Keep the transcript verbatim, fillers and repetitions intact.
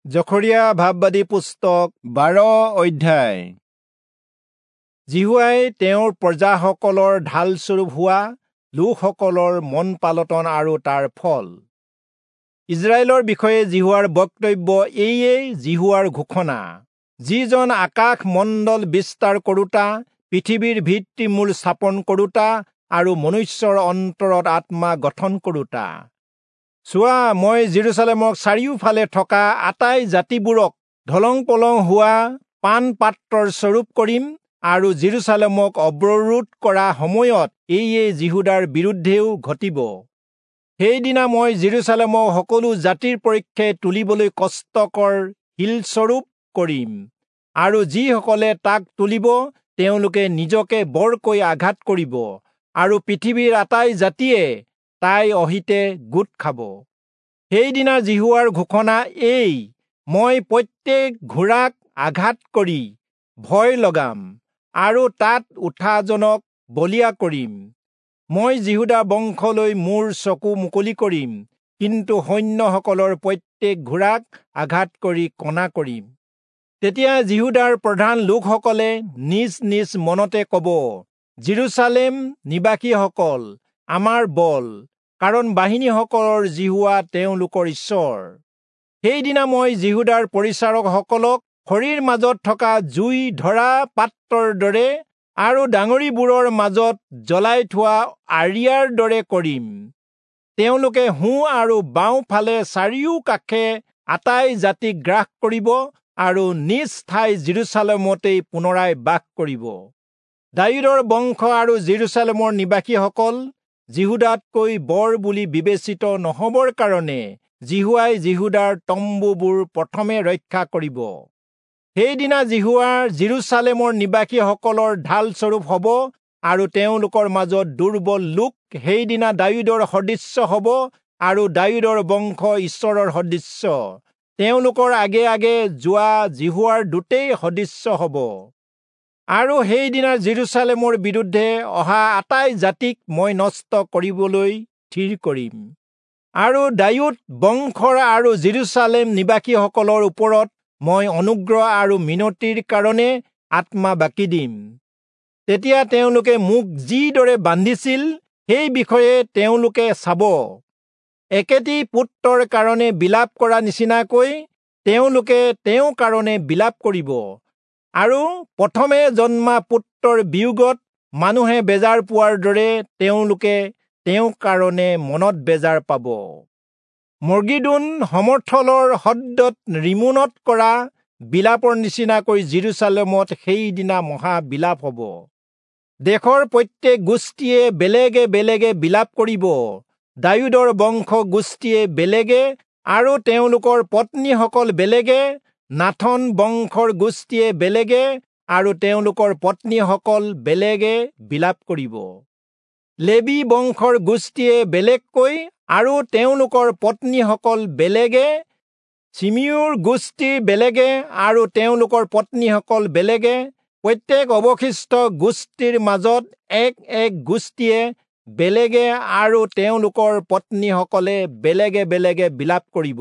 জখৰিয়া ভাববাদী পুস্তক বাৰ অধ্যায়। যিহোৱাই তেওঁৰ প্ৰজাসকলৰ ঢালস্বৰূপ হোৱা লোকসকলৰ মন পালটন আৰু তাৰ ফল। ইজৰাইলৰ বিষয়ে যিহোৱাৰ বক্তব্য এইয়ে যিহোৱাৰ ঘোষণা, যিজন আকাশ মণ্ডল বিস্তাৰ কৰোতা, পৃথিৱীৰ ভিত্তিমূল স্থাপন কৰোতা আৰু মনুষ্যৰ অন্তৰত আত্মা গঠন কৰোতা। চোৱা, মই জেৰুচালেমক চাৰিওফালে থকা আটাই জাতিবোৰক ঢলং পলং হোৱা পান পাত্ৰৰ স্বৰূপ কৰিম আৰু জেৰুচালেমক অৱৰোধ কৰা সময়ত এইয়ে যিহূদাৰ বিৰুদ্ধেও ঘটিব। সেইদিনা মই জেৰুচালেমক সকলো জাতিৰ পক্ষে তুলিবলৈ কষ্টকৰ শিলস্বৰূপ কৰিম আৰু যিসকলে তাক তুলিব তেওঁলোকে নিজকে বৰকৈ আঘাত কৰিব আৰু পৃথিৱীৰ আটাই জাতিয়ে তাই অহিতে গোট খাব। সেইদিনা যিহোৱাৰ ঘোষণা এই, মই প্ৰত্যেক ঘোঁৰাক আঘাত কৰি ভয় লগাম আৰু তাত উঠাজনক বলীয়া কৰিম। মই যিহূদা বংশলৈ মোৰ চকু মুকলি কৰিম, কিন্তু সৈন্যসকলৰ প্ৰত্যেক ঘোঁৰাক আঘাত কৰি কণা কৰিম। তেতিয়া যিহূদাৰ প্ৰধান লোকসকলে নিজ নিজ মনতে কব, জেৰুচালেম নিবাসীসকল আমাৰ বল, কাৰণ বাহিনীসকলৰ যিহোৱা তেওঁলোকৰ ঈশ্বৰ। সেইদিনা মই যিহূদাৰ পৰিচাৰকসকলক খৰিৰ মাজত থকা জুই ধৰা পাত্ৰৰ দৰে আৰু ডাঙৰিবোৰৰ মাজত জ্বলাই থোৱা আৰিয়াৰ দৰে কৰিম। তেওঁলোকে সোঁ আৰু বাওঁফালে চাৰিওকাষে আটাই জাতিক গ্ৰাস কৰিব আৰু নিজ ঠাই জেৰুচালেমতেই পুনৰাই বাস কৰিব। দায়ূদৰ বংশ আৰু জেৰুচালেমৰ নিবাসীসকল যিহূদাতকৈ বৰ বুলি বিবেচিত নহবৰ কাৰণে যিহোৱাই যিহূদাৰ তম্বুবোৰ প্ৰথমে ৰক্ষা কৰিব। সেইদিনা যিহোৱাৰ জেৰুচালেমৰ নিবাসীসকলৰ ঢালস্বৰূপ হব আৰু তেওঁলোকৰ মাজত দুৰ্বল লোক সেইদিনা দায়ূদৰ সদৃশ্য হব আৰু দায়ূদৰ বংশ ঈশ্বৰৰ সদৃশ্য, তেওঁলোকৰ আগে আগে যোৱা যিহোৱাৰ দূতেই সদৃশ্য হব। আৰু সেইদিনা জেৰুচালেমৰ বিৰুদ্ধে অহা আটাই জাতিক মই নষ্ট কৰিবলৈ থিৰ কৰিম আৰু দায়ূদ বংশৰ আৰু জেৰুচালেম নিবাসীসকলৰ ওপৰত মই অনুগ্ৰহ আৰু মিনতিৰ কাৰণে আত্মা বাকি দিম। তেতিয়া তেওঁলোকে মোক যিদৰে বান্ধিছিল সেই বিষয়ে তেওঁলোকে চাব। একেটি পুত্ৰৰ কাৰণে বিলাপ কৰা নিচিনাকৈ তেওঁলোকে তেওঁৰ কাৰণে বিলাপ কৰিব আৰু প্ৰথমে জন্মা পুত্ৰৰ বিয়োগত মানুহে বেজাৰ পোৱাৰ দৰে তেওঁলোকে তেওঁৰ কাৰণে মনত বেজাৰ পাব। মৰ্গিদোন সমৰ্থলৰ হদ্দত ৰিমোনত কৰা বিলাপৰ নিচিনাকৈ জেৰুচালেমত সেইদিনা মহা বিলাপ হব। দেশৰ প্ৰত্যেক গোষ্ঠীয়ে বেলেগে বেলেগে বিলাপ কৰিব, দায়ূদৰ বংশ গোষ্ঠীয়ে বেলেগে আৰু তেওঁলোকৰ পত্নীসকল বেলেগে, নাথন বংশৰ গোষ্ঠীয়ে বেলেগে আৰু তেওঁলোকৰ পত্নীসকল বেলেগে বিলাপ কৰিব। লেবী বংশৰ গোষ্ঠীয়ে বেলেগকৈ আৰু তেওঁলোকৰ পত্নীসকল বেলেগে, চিমিউৰ গোষ্ঠী বেলেগে আৰু তেওঁলোকৰ পত্নীসকল বেলেগে, প্ৰত্যেক অৱশিষ্ট গোষ্ঠীৰ মাজত এক এক গোষ্ঠীয়ে বেলেগে আৰু তেওঁলোকৰ পত্নীসকলে বেলেগে বেলেগে বিলাপ কৰিব।